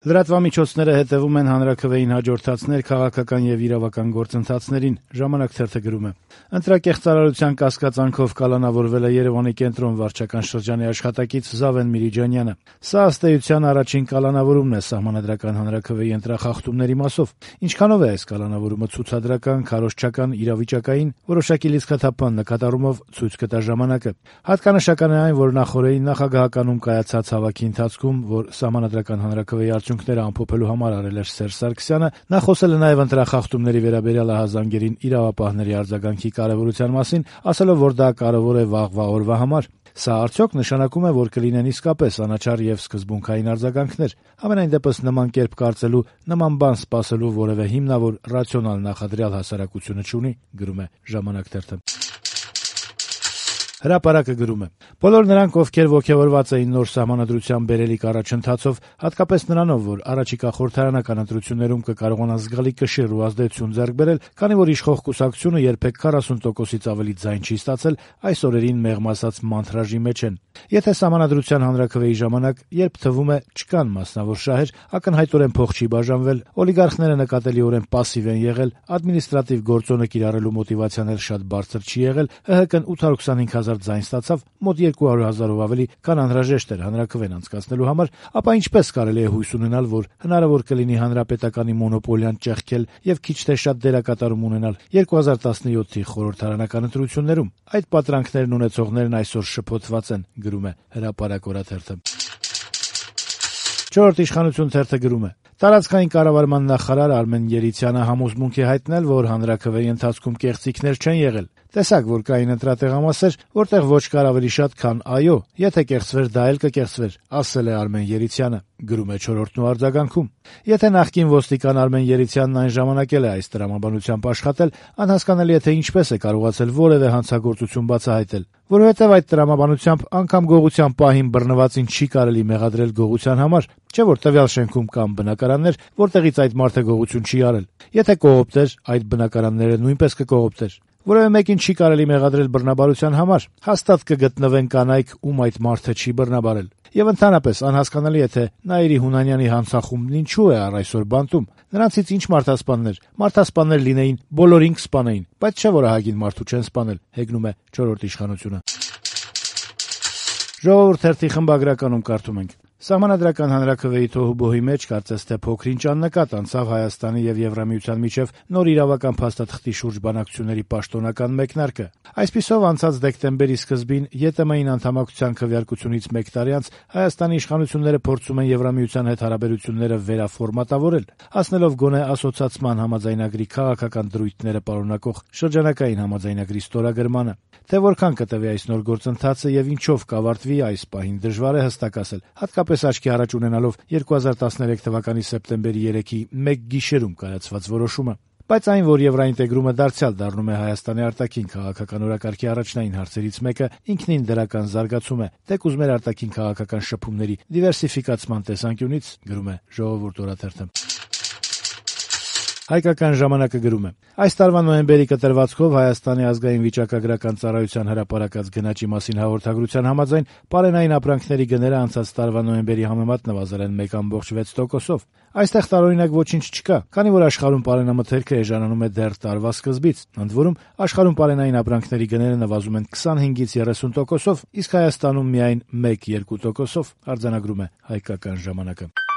Լրատվամիջոցները հետևում են հանրաքվեին հաջորդածներ քաղաքական եւ իրավական գործընթացներին, «Ժամանակ» թերթը գրում է. ընտրակեղծարարության կասկածանքով կալանավորվել է Երեւանի կենտրոն վարչական շրջանի աշխատակից Զավեն Միրիջանյանը։ Սա ըստ էության առաջին կալանավորումն է սահմանադրական հանրաքվեի ընտրախախտումների մասով։ Ինչքանով է այս կալանավորումը ցուցադրական, քարոզչական, իրավիճակային, որոշակի լիցքաթափման նկատառումով ցույց կտա ժամանակը։ Հատկանշական է այն, որ նախօրեին նախագահականում կայացած հավաքի ընթացքում, որ սահմանադրական հանրաքվեի արդյունքները ամփոփելու համար արել էր Սերժ Սարգսյանը, նա խոսել է նաև ընտրախախտումների վերաբերյալ ահազանգերին իրավապահների արձագանքի կարևորության մասին, ասելով, որ դա կարևոր է վաղվա օրվա համար։ Սա արդյոք նշանակում է, որ կլինեն իսկապես անաչառ եւ սկզբունքային արձագանքներ։ Համենայն դեպս նման կերպ կարծելու, նման բան սպասելու որևէ հիմնավոր ռացիոնալ նախադրյալ հասարակությունը չունի, գրում է «Ժամանակ» թերթը։ Հրապարակը գրում է. բոլոր նրանք, ովքեր ոգևորված էին նոր սահմանադրության բերելիք առաջընթացով, հատկապես նրանով, որ առաջիկա խորհրդարանական ընտրություններում կկարողանան զգալի կշիռ ու ազդեցություն ձեռք բերել, քանի որ իշխող կուսակցությունը երբեք 40%-ից ավելի ձայն չի ստացել, այս օրերին մեղմ ասած մանթրաժի մեջ են։ Եթե սահմանադրության հանրաքվեի ժամանակ, երբ թվում է չկան մասնավոր շահեր, ակնհայտորեն փող չի բաժանվել, օլիգարխները նկատելիորեն պասիվ են եղել, ադմինիստրատիվ գործոնը կիրառելու մոտիվացիան էլ շատ բարձր չի եղել, ՀՀԿ-ն 825,000 ձայն ստացավ, մոտ 200,000-ով ավելի, քան անհրաժեշտ էր հանրաքվեն անցկացնելու համար, ապա ինչպես կարելի է հույս ունենալ, որ հնարավոր կլինի հանրապետականի մոնոպոլիան ճեղքել եւ քիչ թե շատ դերակատարում ունենալ 2017-ի խորհրդարանական ընտրություններում։ Այդ պատրանքներն ունեցողներն այսօր շփոթված են, գրում է «Հրապարակ» օրաթերթը։ «Չորրորդ իշխանություն» թերթը գրում է. տարածքային կառավարման նախարար Արմեն Երիցյանը համոզմունք է հայտնել, որ հանրաքվեի ընթացքում կեղծիքներ չեն եղել։ Տեսակ, որ կային ընտրատեղամասեր, որտեղ ոչ կար ավելի շատ, քան այո, եթե կեղծվեր, դա էլ կկեղծվեր, ասել է Արմեն Երիցյանը, գրում է «Չորրորդն» ու արձագանքում։ Եթե նախկին ոստիկան Արմեն Երիցյանն այն ժամանակ էլ է այս տրամաբանությամբ աշխատել, անհասկանալի է, թե ինչպես է կարողացել որևէ հանցագործություն բացահայտել, որովհետև այդ տրամաբանությամբ անգամ գողության պահին բռնվածին չի կարելի մեղադրել գողության համար, չէ՞ որ տվյալ շենքում կան բնակարաններ, որտեղից այդ մարդը գողություն չի արել։ Եթե կողոպտեր, այդ բնակարանները նույնպես կկողոպտեր։ Որևէ մեկին չի կարելի մեղադրել բռնաբարության համար, հաստատ կգտնվեն կանայք, ում այդ մարդը չի բռնաբարել։ Եվ ընդհանրապես անհասկանալի է, թե Նաիրի Հունանյանի հանցախումբն ինչու է առ այսօր բանտում։ Նրանցից ինչ մարդասպաններ լինեին, բոլորին կսպանեին, բայց չէ՞ որ ահագին մարդու չեն սպանել, հեգնում է «Չորրորդ իշխանությունը»։ «Ժողովուրդ» թերթի խմբագրականում կարդում ենք. Սահմանադրական հանրաքվեի թոհուբոհի մեջ կարծես թե փոքր-ինչ աննկատ անցավ Հայաստանի եւ Եվրամիության միջև նոր իրավական փաստաթղթի շուրջ բանակցությունների պաշտոնական մեկնարկը։ Այսպիսով անցած դեկտեմբերի սկզբին ԵՏՄ-ին անդամակցության քվեարկությունից 1 տարի անց Հայաստանի իշխանությունները փորձում են Եվրամիության հետ հարաբերությունները վերաֆորմատավորել, հասնելով գոնե ասոցացման համաձայնագրի քաղաքական դրույթները պարունակող շրջանակային համաձայնագրի ստորագրմանը։ Թե որքան կտևի այս նոր գործընթացը եւ ինչով կավարտվի այս պահին դժվար է հստակ ասել, հատկապես աչքի առաջ ունենալով 2013 թվականի սեպտեմբերի 3-ի մեկ գիշերում կայացված որոշումը։ Բայց այն, որ եվրոինտեգրումը դարձյալ դառնում է Հայաստանի արտաքին քաղաքական օրակարգի առաջնային հարցերից մեկը, ինքնին դրական զարգացում է, թեկուզ մեր արտաքին քաղաքական շփումների դիվերսիֆիկացման տեսանկյունից, գրում է «Ժողովուրդ» օրաթերթը։ Հայկական ժամանակը գրում է. այս տարվա նոյեմբերի կտրվածքով Հայաստանի ազգային վիճակագրական ծառայության հրապարակած գնաճի մասին հաղորդագրության համաձայն պարենային ապրանքների գները անցած տարվա նոյեմբերի համեմատ նվազել են 1.6%-ով։ Այստեղ տարօրինակ ոչինչ չկա, քանի որ աշխարհում պարենամթերքը էժանանում է դեռ տարվա սկզբից։ Ընդ որում, աշխարհում պարենային ապրանքների գները նվազում են 25-ից 30%-ով, իսկ Հայաստանում միայն 1-2%-ով, արձանագրում է Հայկական ժամանակը։